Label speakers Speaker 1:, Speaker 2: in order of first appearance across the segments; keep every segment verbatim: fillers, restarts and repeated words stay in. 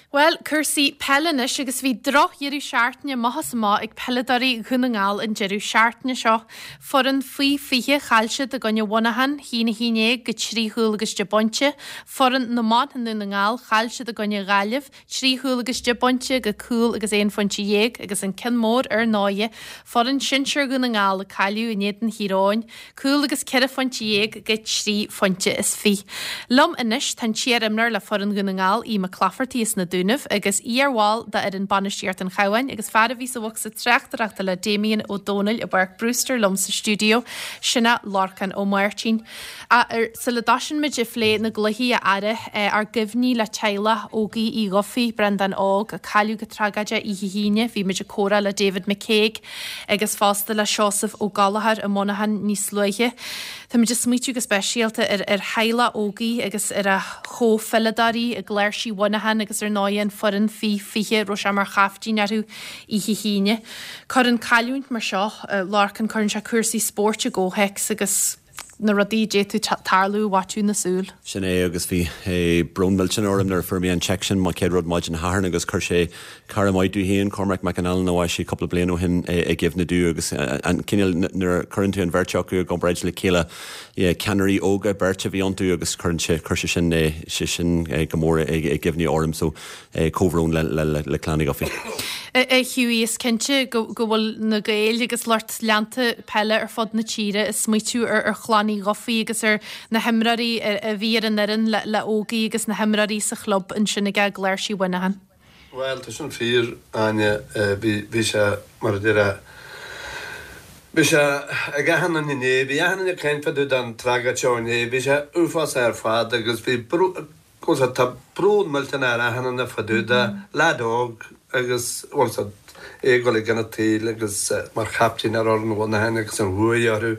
Speaker 1: Bhuel, cúrsaí peile anois agus bhí drochdheireadh seachtaine amach is amach ag peileadóirí Dhún na nGall an deireadh seachtaine seo. Foireann faoi fiche chaill siad i gcoinne Mhuineacháin, a haon a haon déag go trí chúl agus deich bpointe. Foireann na mban i nDún na nGall chaill siad i gcoinne Ghaillimh, trí chúl agus deich bpointe go cúl agus aon phointe dhéag agus an ceann mór ar ndóighe, foireann sinsir Dhún na nGall a cailleadh in éadan Thír Eoghain, cúl agus ceithre phointe dhéag go trí phointe is fiche. Liom anois tá an t-iarimreoir le foireann Dhún na nGall, Aodh Mac Laifeartaigh as na Dúnaibh agus iarbhall d'fhoireann bainistíocht an Chabháin agus fear a bhí sa bhocsa tráchtaireachta le Damien Ó Dónaill i bPáirc Brewster liom sa stiúideo, sin é Lorcán Ó Máirtín. Sula dtosaíonn muid ag plé na gcluichí a fheara, ár gcuimhní le teaghlach Ógie Uí Dhufaigh, Breandán Óg, a cailleadh go tragóideach oíche hAoine. Bhí muid ag comhrá le David McCague agus fosta le Seosamh Ó Gallchóir i Monaghan níos luaithe. Táimid ag smaoitiú go speisialta ar ar theaghlach Ógie agus ar a chomhpheileadóirí i gCláirsigh Mhuineacháin agus ar ndóigh an foireann faoi fiche a raibh sé mar chaiftín orthu oíche hAoine. Cuireann cailliúint mar seo, Lorcan, cuireann sé cúrsaí spóirt i gcomhthéacs agus na rudaí a d'fhéadfadh tarlú i bhfaiteadh na súl.
Speaker 2: Sin é agus bhí brón millteanach orm nuair a fuair mé an téacs sin mo chéad rud maidin Shathairn agus chuir sé cara maith domh féin, Cormac McAnallen a bhásaigh cúpla bliain ó shin i gcuimhne domh agus an cineál nuair a chuireann tú an bheirt acu i gcomparáid le chéile ceannairí óga beirt a bhí iontu agus cuireann sé chuir sé sin sé sin go mór i gcuimhne orm so comhbhrón le le le clann Uí Dhufaigh.
Speaker 1: A Hughie is cinnte go go bhfuil na Gaeil agus lucht leanta peile ar fud na tíre ag smaoitiú ar ar chlann Uí Dhufaigh agus ar na himreoirí a bhí ar an fhoireann le le Ógie agus na himreoirí sa chlub ansin ag Cláirsigh Mhuineacháin.
Speaker 3: Well tá sin fíor Áine bhí bhí sé mar a deir Bhí sé ag achan duine inné, bhí achan duine ag caint fá dtaobh den tragóid seo inné, bhí sé uafásach ar fad agus bhí bhuel tá brón millteanach ar achan duine fá dtaobh de, leaid óg agus bhuel é ag dul i gcionn an tsaoil agus mar chaiptín ar fhoireann Mhuineacháin agus an bhuaidh orthu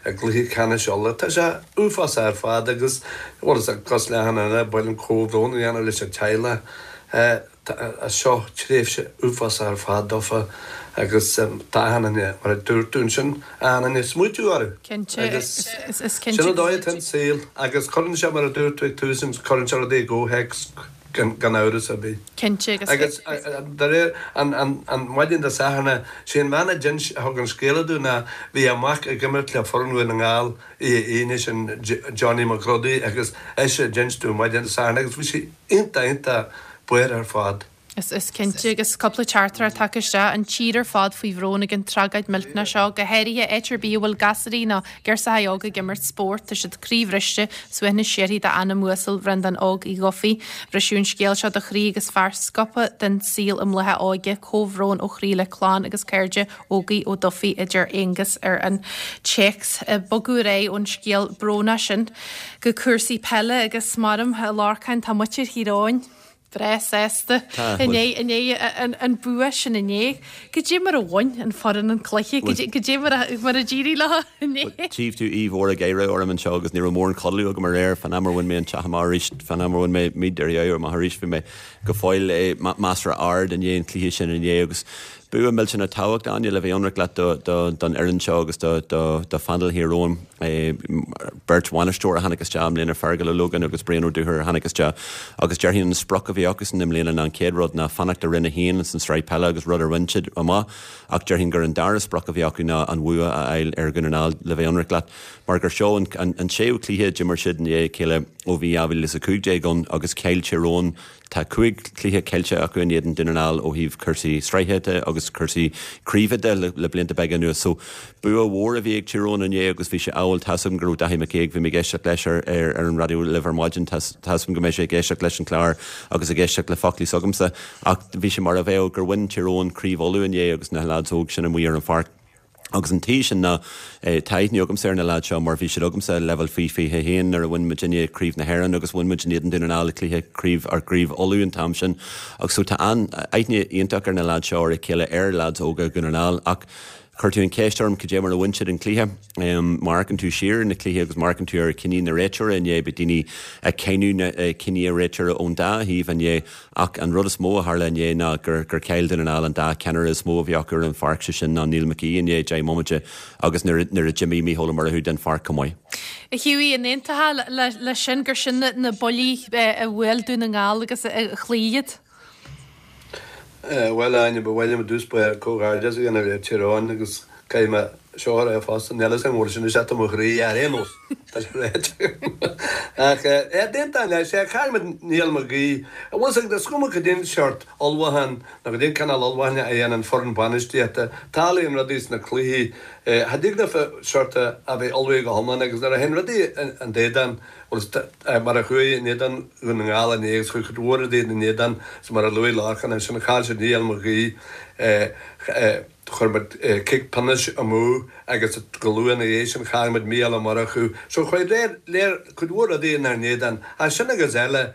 Speaker 3: i gcluiche ceannais Uladh. Tá sé uafásach ar fad agus bhuel cosúil le achan duine ba mhaith linn comhbhrón a dhéanamh leis an teaghlach. Seo tréimhse uafásach ar fad dófa agus tá achan duine, mar a dúirt tú ansin, achan duine ag smaoitiú orthu.
Speaker 1: Cinnte,
Speaker 3: Agus
Speaker 1: is cinnte
Speaker 3: sin an dóigh atá an saol agus cuireann sé, mar a dúirt tú ag tús, cuireann sé rudaí i gcomhthéacs gan gan amhras ar bith.
Speaker 1: Cinnte agus
Speaker 3: Agus de réir an an an maidin Dé Sathairn, sé an bhean a d'inis a thug an scéala domh ná bhí a mac ag imirt le foireann Dhún na nGall oíche Aoine sin Johnny McGruddy agus ise a d'inis domh maidin Dé Sathairn agus bhí sí iontach iontach buartha ar fad.
Speaker 1: Is is cinnte agus cúpla teachtaireacht tagtha isteach an tír ar fad faoi bhrón ag an tragóid millteanach seo, go háirithe áit ar bith a bhfuil gasúraí nó girseachaí óga ag imirt spóirt, tá siad croíbhriste, suaimhneas síoraí dá anam uasal Bhreandán Óg Uí Dhufaigh. Briseadh an scéal seo do chroí agus fear sciobtha den saol i mbláth a óige, comhbhrón ó chroí le clann agus cairde Ógie Ó Dufaigh a deir Aonghus ar an téacs. Bogadh ar aghaidh ón scéal brónach sin go cúrsaí peile agus maram a Lorcáin tá muintir Thír Eoghain breá sásta inné inné an an bua sin inné. Goidé mar a bhain an foireann an cluiche, goidé mar a mar a d'éirigh leo inné.
Speaker 2: Tchífidh tú aoibh mhór ag éirí orm anseo agus ní raibh mórán codladh agam aréir fán am ar bhain mé an teach amach arís, fán am ar bhain mé míd ar dheabhar amach arís bhí mé go fóill measartha ard i ndiaidh an cluiche sin inné agus bua millteanach tábhachtach Áine le bheith ionraic leat don fhoireann seo agus do phainéal Thír Eoghain. Beirt bhainisteoir a tháinig isteach i mbliana, Fergal Ó Logáin agus Brian Ó Dúchoir a tháinig isteach agus déarfainn an sprioc a bhí acusan i mbliana ná an chéad rud ná fanacht i Roinn a haon san sraith peile agus rud ar bhain siad amach ach déarfainn gur an dara sprioc a bhí acu ná an bhua a fháil ar Dhún na nGall le bheith ionraic leat mar gur seo an séú cluiche a d'imir siad i ndiaidh a chéile ó bhí dhá mhíle is a cúig déag ann agus chaill Tír Eoghain Tá cúig chluiche caillte acu in éadan Dún na nGall ó thaobh cúrsaí sraithe de agus cúrsaí craoibhe de le blianta beaga anuas. So bua mhór a bhí ag Tír Eoghain inné agus bhí sé amhail tá's agam go raibh Daithí Mac Aoidh, bhí mé ag éisteacht leis ar ar an raidió libh ar maidin, tá's agam go mbeidh sé ag éisteacht leis an chlár agus ag éisteacht le foclaí s'agamsa ach bhí sé mar a bheadh gur bhain Tír Eoghain Craobh Uladh inné agus na lads óg sin amuigh ar an pháirc. Agus an taobh sin ná tá aithne agamsa ar na leaids seo mar bhí siad agamsa leibhéal faoi fiche a haon nuair a bhain muidinne Craobh na hÉireann agus bhain muid in éadan Dún na nGall i cluiche craobh ar gCraobh Uladh an t-am sin. Agus so tá an-aithne iontach ar na leaids seo ar a chéile ar leaids óga Dhún na nGall ach chuir tú an cheist orm cad é mar a bhain siad an cluiche. Má amharcann tú siar ar na cluichí agus má amharcann tú ar chinní na réiteoirí inné bhí daoine ag cáineadh na cinní réiteora ón dá thaobh inné Ach an rud is mó a tharla inné ná gur gur chaill Dún na nGall an dá cheannaire is mó a bhí acu ar an pháirc, sé sin ná Neil McGee inné deich mbomaite agus nuair nuair a d'imigh Mícheál Ó Murchú den pháirc chomh maith.
Speaker 1: A Hughie, an aontófá le sin gur sin na buillí a bhuail Dún na nGall agus a chloígh iad?
Speaker 3: Bhuel Áine, ba mhaith liom i dtús báire comhghairdeas a dhéanamh le Tír Eoghain agus caithfidh mé seo a rá fosta, níl fhios agam an bhfuil sin isteach i mo chroí ar aon nós, tá sé ráite agam. Ach eh, d'aontóinn leis, eh, chaill muid Niall Mag Aoidh, an bhfuil fhios agat, is cuma cad é an seort ullmhúcháin nó cad é an cineál ullmhúcháin a dhéanann foireann bainistíochta, tarlaíonn rudaí sna cluichí, eh, cha dtig leofa seort a bheith ullmhaithe go hiomlán agus nuair a théann rudaí in éadan, bhuel is mar a chuaigh in éadan Dhún na nGall inné agus chuaigh cuid mhór rudaí in éadan, is mar a luaigh Lorcán ansin, chaill siad Niall Mag Aoidh, chuir muid cic pionóis amú agus go luath ina dhiaidh sin chaill muid Mícheál Ó Murchú. So chuaigh léir, léir, cuid mhór rudaí inár n-éadan. Ach sin agus eile,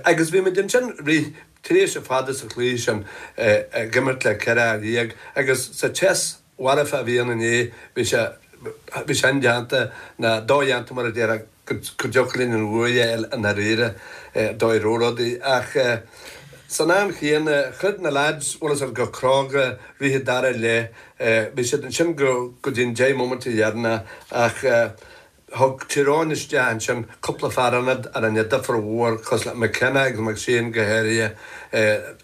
Speaker 3: agus bhí muid ansin rith tréimhse fada sa chluiche sin ag imirt le ceithre fhear dhéag agus sa tséas mharfa a bhí ann inné, bhí sé, bhí sé indéanta, ná dodhéanta mar a déarfá, go dtiocfadh linn an bhuaidh a fháil i ndáiríre, dóigh a raibh rudaí. Ach san am chéanna, throid na leaids, bhfuil fhios agat, go cróga, rith an dara leath, bhí siad ansin go dtí an deich mbomaite dheireanach ach thug Tír Eoghain isteach ansin cúpla fear ionaid a rinne difear mhór, cosúil le McKenna agus McShane go háirithe,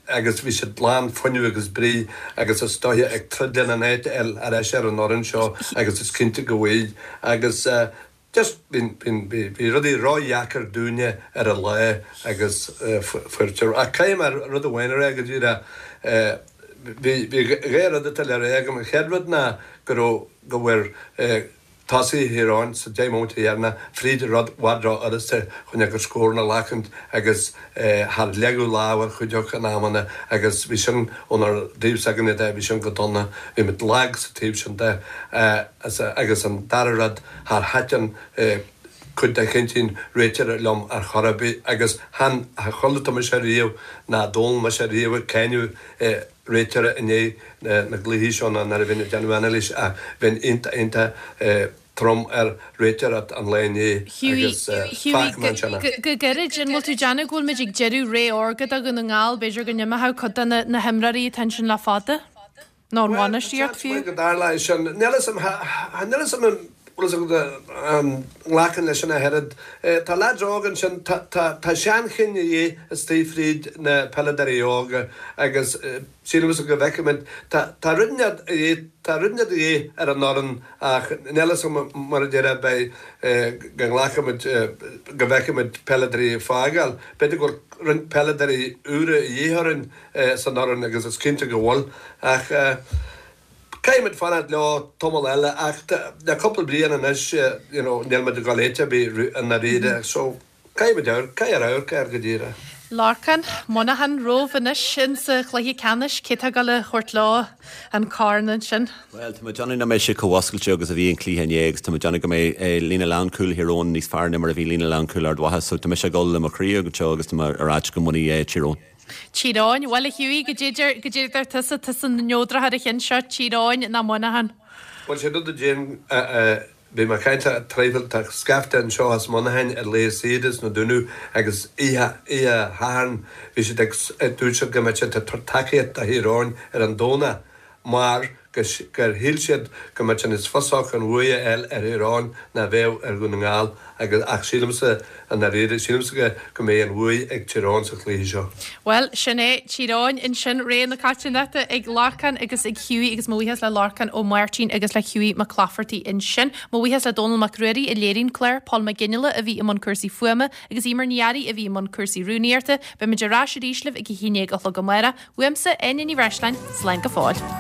Speaker 3: agus bhí siad lán fuinnimh agus brí agus is dóiche ag troid lena n-áit a fháil ar ais ar an fhoireann seo agus is cinnte go bhfuil. Agus just bhí, bhí, bhí rudaí ródheacair dúinne ar an lá agus fuair Tír, ach caithfidh mé rud amháin a rá go díreach, bhí, bhí dhá rud atá le rá agam. An chéad rud ná go raibh, go bhfuair, Tosaithe Thír Eoghain sa deich mbomaite dheireanach fríd rud i bhfad ró-fhurasta chun a gcuid scóranna a ghlacaint agus char leagadh lámh ar chuid acu in amanna agus bhí sin ónár dtaobh s'againne de, bhí sin go dona. Bhí muid lag sa taobh sin de agus an dara rud, char thaitin cuid de chinntí an réiteora liom ar chor ar bith agus chan chuala tú mise riamh ná Dónal mise riamh ag cáineadh réiteora i ndiaidh na gcluichí seo ná nuair a bhínn ag déanamh anailís ach bheinn iontach iontach trom ar réiteoireacht an lae inné agus
Speaker 1: fágfaidh mé ansin é. Go gairid, an bhfuil tú ag déanamh go bhfuil muid ag deireadh ré órga do Dhún na nGall, b'fhéidir go n-imeoidh cuid de na himreoirí atá ansin le fada? Nó an
Speaker 3: Bhuel, tá
Speaker 1: bhainistíocht
Speaker 3: seans
Speaker 1: fiú?
Speaker 3: maith go dtarlóidh sin. Níl fhios a'm, níl fhios a'm an bhfuil fhios agat an nglacfainn leis sin ach oiread. Tá leaids óga ansin, tá, tá, tá seanchinn a dhíth istigh fríd na peileadóirí óga agus sílimse go bhfeicfimid, tá, tá rud inteacht a dhíth, tá rud inteacht a dhíth ar an fhoireann ach níl fhios a'm mar a déarfá beidh, go nglacfaimid, go bhfeicfimid peileadóirí ag fágáil. B'fhéidir go bhfuil roinnt peileadóirí úra a dhíth orainn san fhoireann agus is cinnte go bhfuil ach caithfimid fanacht leo tamall eile ach le cúpla bliain anois you know níl muid ag dul áit ar bith i ndáiríre so caithfimid amharc, caithfear amharc air go díreach.
Speaker 1: Lorcán, Muineachán romhaibh anois insa chluiche ceannais, cé tá ag dul a thabhairt leo an corn ansin?
Speaker 2: Bhuel, tá mé ag déanamh nach mbeidh sé chomh oscailte agus a bhí an cluiche inné agus tá mé ag déanamh go mbeidh líne lánchúil Thír Eoghain níos fearr ná mar a bhí líne lánchúil Ard Mhacha so tá mise ag dul le mo chroí anseo agus tá mé ag ráit go mbainfidh Tír Eoghain.
Speaker 1: Tír Eoghain, bhuel a Hughie, goidé a deir, goidé a deir tusa, tusa an neodrach ar an cheann seo, Tír Eoghain ná Muineachán?
Speaker 3: Bhuel, sé rud a déan, bhí mé ag caint le traidhfil, tá scaifte anseo as Muineachán ar lae saoire sna Dúnaibh agus oíche, oíche Shathairn bhí siad ag, dúirt siad go mbeadh siad ag tabhairt tacaíocht do Thír Eoghain ar an Domhnach mar gur shíl siad go mbeadh sé níos fusa acu an bhuaidh a fháil ar Thír Eoghain ná a bheadh ar Dhún na nGall agus ach sílimse i ndáiríre, sílimse go go mbeidh an bhuaidh ag Tír Eoghain sa chluiche seo.
Speaker 1: Bhuel, sin é Tír Eoghain ansin, rogha na coitiantachta ag Lorcán agus ag Hughie agus mo bhuíochas le Lorcán Ó Máirtín agus le Hughie Mac Laifeartaigh ansin. Mo bhuíochas le Dónal Mac Ruairí a léirigh an clár, Paul Mac Fhionnghaile a bhí i mbun cúrsaí fuaime agus Emer Ní Fhearraigh a bhí i mbun cúrsaí rúnaíochta. Beimid ar ais arís libh ag a haon déag a chlog amárach. Uaimse, Áine Ní Bhreisleáin, slán go fóill.